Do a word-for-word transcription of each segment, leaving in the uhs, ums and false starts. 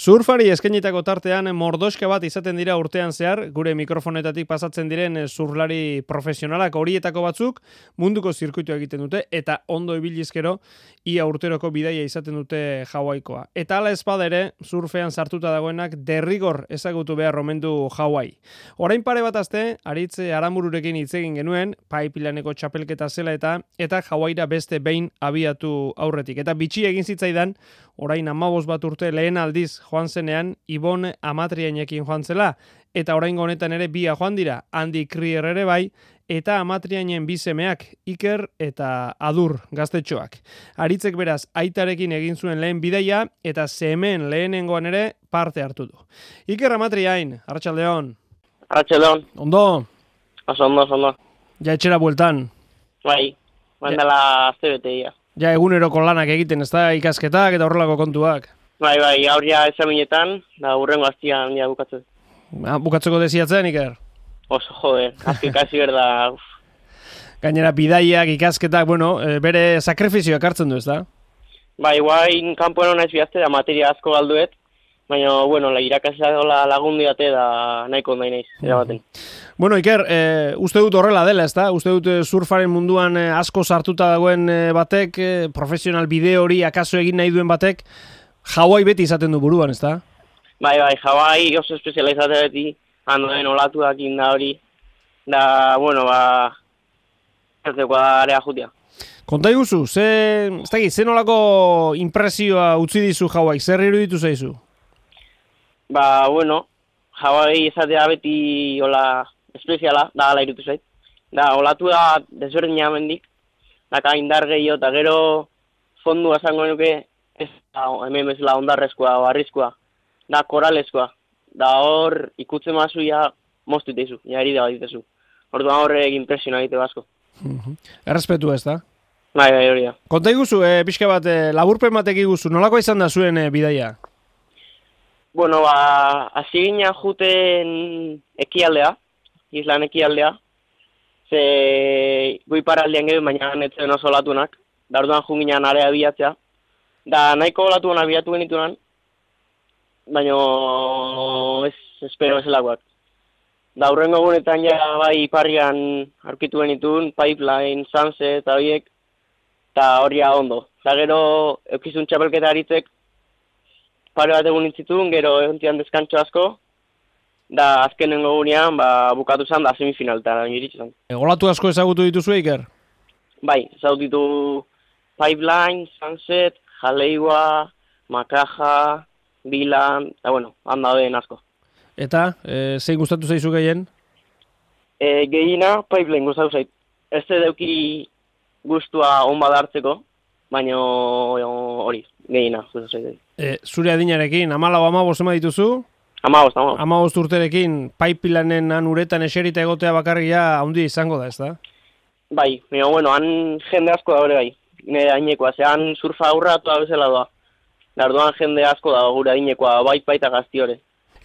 Surfari eskainitako tartean mordoska bat izaten dira urtean zehar, gure mikrofonetatik pasatzen diren surflari profesionalak horietako batzuk munduko zirkuitua egiten dute eta ondo ibilizkero ia urteroko bidaia izaten dute Hawaikoa. Eta hala ezpada ere, surfean sartuta dagoenak derrigor ezagutu behar omen du Hawaii. Orain pare bat aste, Aritze Aranbururekin hitz egin genuen, Pipelineko txapelketa zela eta eta Hawaira beste behin abiatu aurretik. Eta bitxi egin zitzaidan, orain hamabost bat urte lehen aldiz joan zenean, Ibon Amatriainekin joan zela, eta oraingo honetan ere bia joan dira, Andy Krier ere bai, eta Amatriainen bi semeak, Iker eta Adur gaztetxoak. Aritzek beraz, aitarekin egin zuen lehen bidaia, eta semeen lehenengoan ere parte hartu du. Iker Amatriain, Arratsaldeon. Arratsaldeon. Ondo? Oso ondo, oso ondo. Ja etxera bueltan? Bai, bandala azte beteia. Ja eguneroko lanak egiten, ez da ikasketak eta horrelako kontuak? Bai, bai, aurria ezaminetan, da urrengo aztian ja bukatzen. Ah, bukatzeko desiatzen, Iker? Oso, jode, azki kasi berda. Uf. Gainera, bidaiak, ikasketak, bueno, bere sakrifizioak hartzen du, ez da? Bai, guain kanpoen honaiz bihazte da materia asko galduet, baina, bueno, la irakasea dola lagundu date da nahiko ondai naiz, erabaten. Bueno, Iker, e, uste dut horrela dela, ez da? Uste dut surfaren munduan e, asko sartuta dagoen e, batek, e, profesional bideo hori akaso egin nahi duen batek, Hawaii beti izaten du buruan, ez da? Bai, bai, Hawaii oso espezializate beti, handoen olatuak inda hori, da, bueno, ba, ez dekoa da area jutia. Konta iguzu, ze, ez da, ze nolako impresioa utzi dizu Hawaii, zer iruditu zaizu? Ba, bueno, Hawaii izatea beti hola espeziala, da hala irutu zait. Da, olatu da desberdina mendik, daka indar gehiago, eta gero fondu esango nuke, ez da, hemen bezala ondarrezkoa, barrizkoa, da koralezkoa. Da hor ikutzen mazu ja moztu itezu, ja herida bat itezu. Orduan horrek impresiona egite basko. Uh-huh. Errespetu ez da? Bai, bai, hori da. Konta iguzu, e, pixka bat, e, laburpen batek iguzu, nolako izan da zuen e, bidaia? Bueno, ba, hasi ginen juten ekialdea, islan ekialdea, ze goi paraldean gero, baina netzen oso olatunak, da orduan jun ginen area bilatzea, da nahiko olatuan abiatu genitunan, baina ez espero ezelakoak. Da hurrengo gunetan ja bai iparrian aurkitu genitun, Pipeline, Sunset eta horiek, eta horria ondo. Da gero eukizun txapelketa Aritzek, pare bat egun nintzitun, gero egontian deskantxo asko, da azkenengo gunean ba, bukatu zen da semifinal eta iritsi zen. E, olatu asko ezagutu dituzu, Iker? Bai, ezagutu ditu Pipeline, Sunset, Jaleiwa, Makaja, Bilan, eta bueno, handa den asko. Eta, e, zein gustatu zaizu gehien? E, gehiena, Pipeline gustatu zait. Ez deuki gustua on badartzeko, baina hori, gehiena gustatu zait. E, zure adinarekin, amalau amabost ema dituzu? Amabost, amabost. Amabost urterekin, Pipelineen han uretan eserita egotea bakarria handi izango da, ez da? Bai, baina, bueno, han jende asko da hori bai, nire ainekoa, ze han surfa aurratu bezala doa. Darduan jende asko da gure adinekoa, bai baita gazti hori.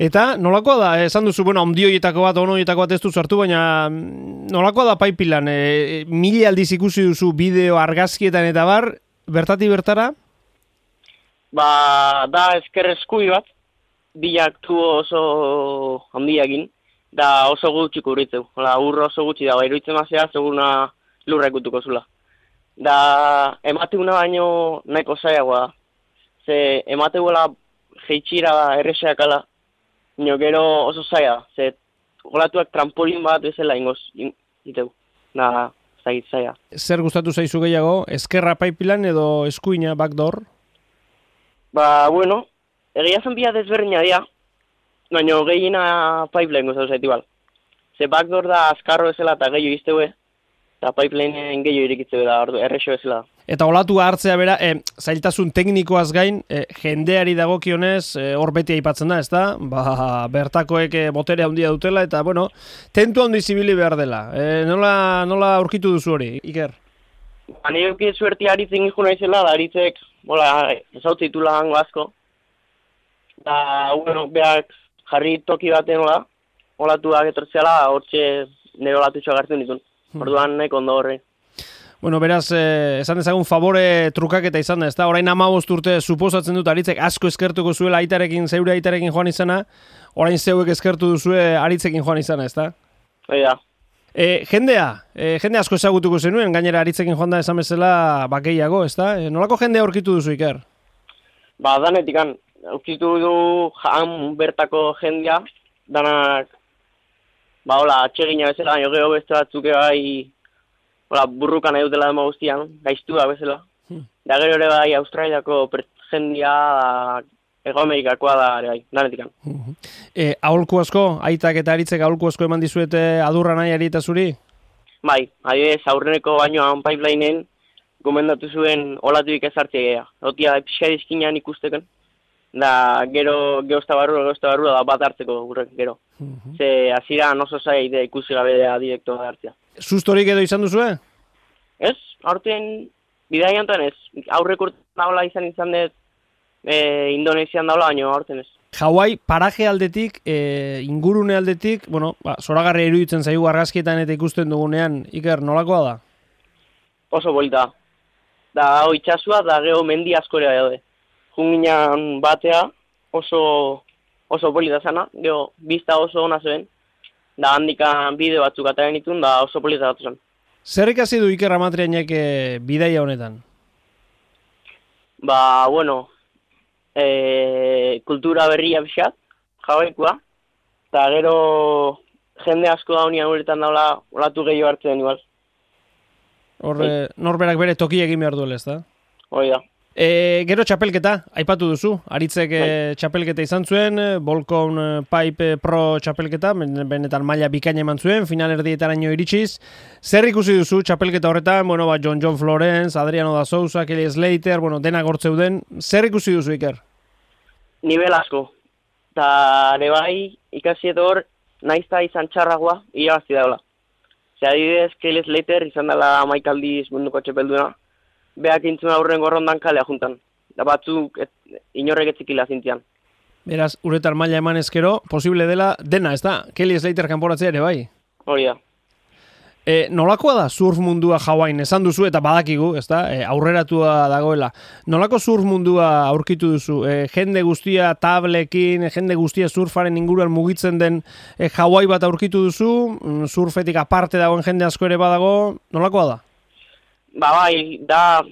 Eta nolakoa da, esan duzu, bueno, ondioietako bat, onoietako bat ez duzu hartu, baina nolakoa da Pipeline? E, mila aldiz ikusi duzu bideo argazkietan eta bar, bertati bertara? Ba, da ezker eskui bat, bilak tu oso handiakin, da oso gutxi kubritzeu. Hola, urro oso gutxi da, iruditzen mazea, seguna lurra ikutuko zula. Da, emate una baino nahiko zaiagoa da. Ze emateguela jeitxira da erreseakala, nio gero oso zaila, ze olatuak trampolin bat bezala ingoz, iteu, da, zait zaila. Zer gustatu zaizu gehiago, eskerra Pipeline edo eskuina backdoor? Ba, bueno, egia zen bia desberdina dira, baina gehiena Pipeline gustatu zaitu bal. Ze backdoor da azkarro bezala eta gehiago izteue, eta Pipelineen gehiago irikitzeu da, errexo bezala. Eta olatua hartzea bera, e, zailtasun teknikoaz gain, e, jendeari dagokionez, e, hor beti aipatzen da, ez da? Ba, bertakoek e, botere handia dutela, eta, bueno, tentu handi zibili behar dela. E, nola, nola aurkitu duzu hori, Iker? Ba, nire euki zuerti Aritzen ikuna izela, da Aritzek, bola, ezautze ditula hango asko. Da, bueno, behak jarri toki baten, hola, olatuak etortzeala, hortxe nire olatutxoak hartzen ditun. Orduan, nahi kondo horre. Bueno, beraz, eh, esan dezagun favore trukaketa izan da, ez da? Orain hamabost urte suposatzen dut Aritzek asko eskertuko zuela aitarekin, zeure aitarekin joan izana, orain zeuek eskertu duzue Aritzekin joan izana, ez da? Hoi da. E, jendea, e, jende asko ezagutuko zenuen, gainera Aritzekin joan da esan bezala bakeiago, ez da? E, nolako jendea aurkitu duzu, Iker? Ba, danetikan, aurkitu du han bertako jendea, danak, ba, hola, atxegina bezala, baina gero beste batzuk bai, hola, burrukan nahi dutela dema guztian, gaiztua bezala. Hmm. Da gero ere bai, Australiako jendea, Ego Amerikakoa da ere bai, danetikan. Uh-huh. E, aholku asko, aitak eta Aritzek aholku asko eman dizuete adurra nahiari eta zuri? Bai, adibidez, aurreneko bainoan pipelineen gomendatu zuen olatuik ezartzea. Otia pixka dizkinean ikusteken. Da, gero, geozta barrua, geozta barrua da bat hartzeko gurrek, gero. Uh-huh. Ze, aziran oso zai de ikusi gabe da direkto da hartzea. Sustorik edo izan duzue? Ez, aurten, bidea jantan ez. Aurrek urtean daula izan izan dut, e, Indonesian daula, baino aurten ez. Hawaii paraje aldetik, e, ingurune aldetik, bueno, ba, zoragarri iruditzen zaigu argazkietan eta ikusten dugunean, Iker, nolakoa da? Oso polita. Da, hau itxasua, da geho mendi askorea daude. Junginan batea, oso, oso polita zana, geho, bizta oso ona zuen, da handikan bideo batzuk ataren itun, da oso polita datu zen. Zer ikasi du Iker Amatrianek e, bidaia honetan? Ba, bueno, e, kultura berria pixat, jabeikoa, eta gero jende asko da honian uretan daula olatu gehiago hartzen igual. Horre, norberak bere toki egin behar duela, ez da? Hoi da. E, gero txapelketa, aipatu duzu, Aritzek e, txapelketa izan zuen, Volcom Pipe Pro txapelketa, benetan maila bikaina eman zuen, finalerdietaraino iritsiz. Zer ikusi duzu txapelketa horretan, bueno, ba, John John Florence, Adriano da Sousa, Kelly Slater, bueno, dena gortzeuden. Zer ikusi duzu, Iker? Nivel asko. Eta ere bai, ikasi edo hor, naizta izan txarragoa, irabazti daula. Zer adibidez, Kelly Slater izan dela maikaldiz munduko txapelduna, beak intzuna aurren gorrondan kalea juntan. Da batzuk et, inorrek etzikila zintian. Beraz, uretar maila eman ezkero, posible dela dena, ez da? Kelly Slater kanporatzea ere bai? Hori da. E, nolakoa da surf mundua Hawaiian? Esan duzu eta badakigu, ez da? E, aurreratua dagoela. Nolako surf mundua aurkitu duzu? E, jende guztia tablekin, jende guztia surfaren inguruan mugitzen den e, Hawaii bat aurkitu duzu? Surfetik aparte dagoen jende asko ere badago? Nolakoa da? Ba bai, da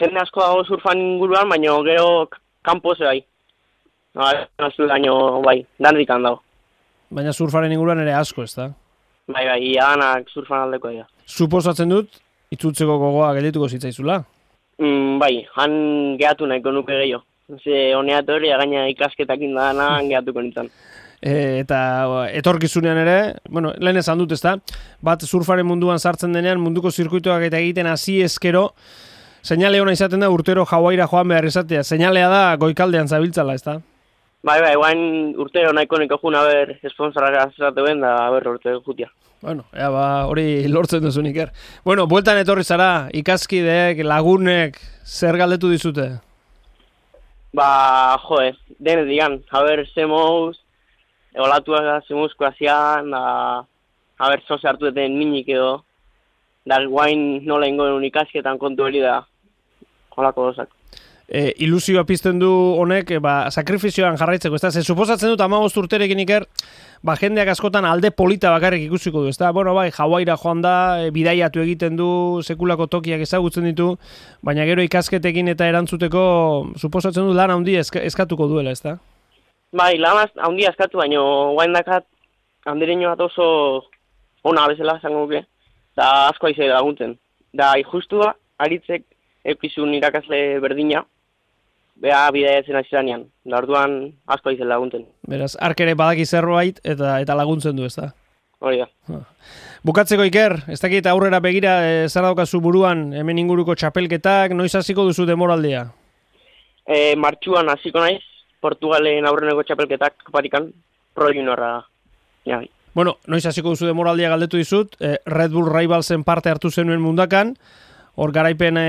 jende asko dago surfan inguruan, baina gero kanpo ze bai. Ba, baina bai, dandikan dago. Baina surfaren inguruan ere asko, ez da? Bai, bai, iadanak surfan aldeko dira. Suposatzen dut, itzultzeko gogoa geldituko zitzaizula? Mm, bai, han gehatu nahiko nuke gehiago. Ze honeat hori, gaina ikasketakin da dana, han gehatuko nintzen. E, eta etorkizunean ere, bueno, lehen esan dut, ezta? Bat surfaren munduan sartzen denean, munduko zirkuitoak eta egiten hasi ezkero, seinale ona izaten da urtero Hawaiira joan behar izatea. Seinalea da goikaldean zabiltzala, ezta? Bai, bai, guain urtero nahiko niko juna ber esponsorara zerateuen da ber urtero jutia. Bueno, ea ba, hori lortzen duzu Iker. Bueno, bueltan etorri zara, ikaskideek, lagunek, zer galdetu dizute? Ba, joe, denet digan, haber, zemoz, olatuak zemuzko azian, da, haber, zoze hartu eten minik edo, da, guain nola ingoen unikasketan kontu hori da, holako dozak. E, ilusioa pizten du honek, e, ba, sakrifizioan jarraitzeko, ez da? Ze suposatzen dut hamabost urterekin Iker, ba, jendeak askotan alde polita bakarrik ikusiko du, ez da? Bueno, bai, Hawaiira joan da, e, bidaiatu egiten du, sekulako tokiak ezagutzen ditu, baina gero ikasketekin eta erantzuteko, suposatzen du lan handi eska, eskatuko duela, ez da? Bai, lan handi eskatu, baina guain dakat, handireño bat oso ona bezala, zango duke, eta asko aize laguntzen. Da, justua, Aritzek eukizun irakasle berdina, beha bidaiatzen azizanean, da orduan asko aizen laguntzen. Beraz, ark ere badaki zerbait eta eta laguntzen du, ez da? Hori da. Bukatzeko Iker, ez dakit aurrera begira e, zer daukazu buruan, hemen inguruko txapelketak, noiz hasiko duzu demoraldia? E, martxuan hasiko naiz, Portugalen aurreneko txapelketak parikan, pro juniorra. Ja. Bueno, noiz hasiko duzu demoraldia galdetu dizut, e, Red Bull Rivalsen parte hartu zenuen mundakan, hor garaipen e,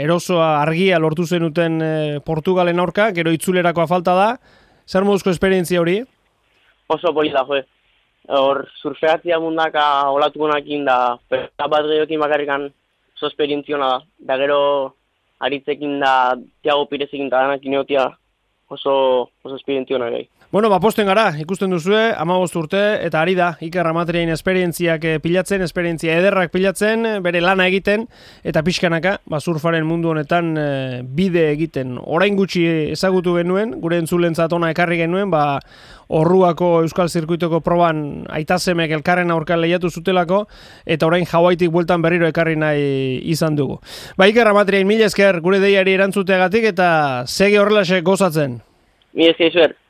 erosoa argia lortu zenuten e, Portugalen aurka, gero itzulerakoa falta da. Zer moduzko esperientzia hori? Oso polita, joe. Hor surfeatzia mundaka olatukonakin da, eta bat gehiokin bakarrikan oso esperientziona da. Da gero aritzekin da Tiago Pirezekin eta danak ineotia oso, oso esperientziona gai. Bueno, ba, posten gara, ikusten duzue, hamabost urte, eta ari da, Iker Amatriain esperientziak pilatzen, esperientzia ederrak pilatzen, bere lana egiten, eta pixkanaka, ba, surfaren mundu honetan e, bide egiten. Orain gutxi ezagutu genuen, gure entzulentzat ona ekarri genuen, ba, Orruako Euskal Zirkuitoko proban aitasemek elkarren aurkan lehiatu zutelako, eta orain Hawaiitik bueltan berriro ekarri nahi izan dugu. Ba, Iker Amatriain, mila esker gure deiari erantzuteagatik, eta segi horrelaxe gozatzen. Mila esker,